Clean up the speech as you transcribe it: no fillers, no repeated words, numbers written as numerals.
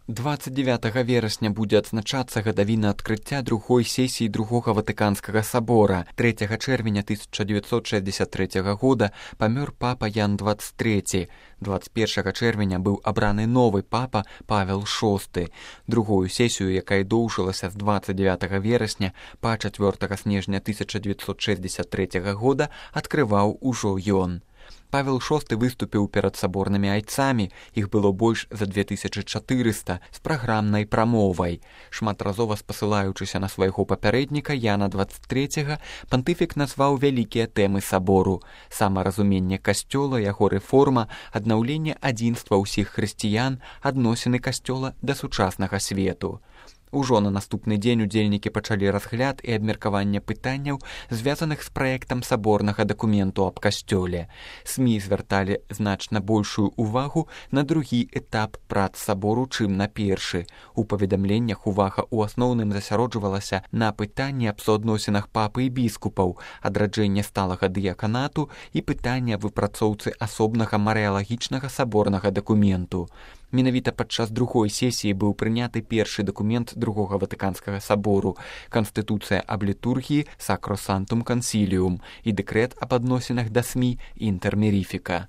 29 верасня будзе адзначацца гадавіна адкрыцця другой сесіі другога Ватыканскага сабора. 3 чэрвеня 1963 года памёр папа Ян XXIII. 21 чэрвеня быў абраны новы папа Павел VI. Другую сесію, якая доўжылася з 29 верасня па 4 снежня 1963 года, адкрываў ужо ён. Павел VI выступіў перад саборнымі айцамі, іх было больш за 2400, з праграмнай прамовай. Шматразова спасылаючыся на свайго папярэдніка Яна XXIII, пантыфік назваў вялікія тэмы сабору: самаразуменне касцёла, яго рэформа, аднаўленне адзінства ўсіх хрысціян, адносіны касцёла да сучаснага свету. Ужо на наступны дзень удзельнікі пачалі разгляд і абмеркаванне пытанняў, звязаных з праектам саборнага дакументу аб касцёле. СМІ звярталі значна большую ўвагу на другі этап прац сабору, чым на першы. У паведамленнях увага ў асноўным засяроджвалася на пытанні аб суадносінах папы і біскупаў, адраджэнне сталага дыяканату і пытанне аб выпрацоўцы асобнага марыялагічнага саборнага дакументу. Менавіта падчас другой сесіі быў прыняты першы дакумент другога Ватыканскага сабору — Канстытуцыя аб літургіі Sacrosanctum Concilium і дэкрэт аб адносінах да СМІ Інтэр Міріфіка.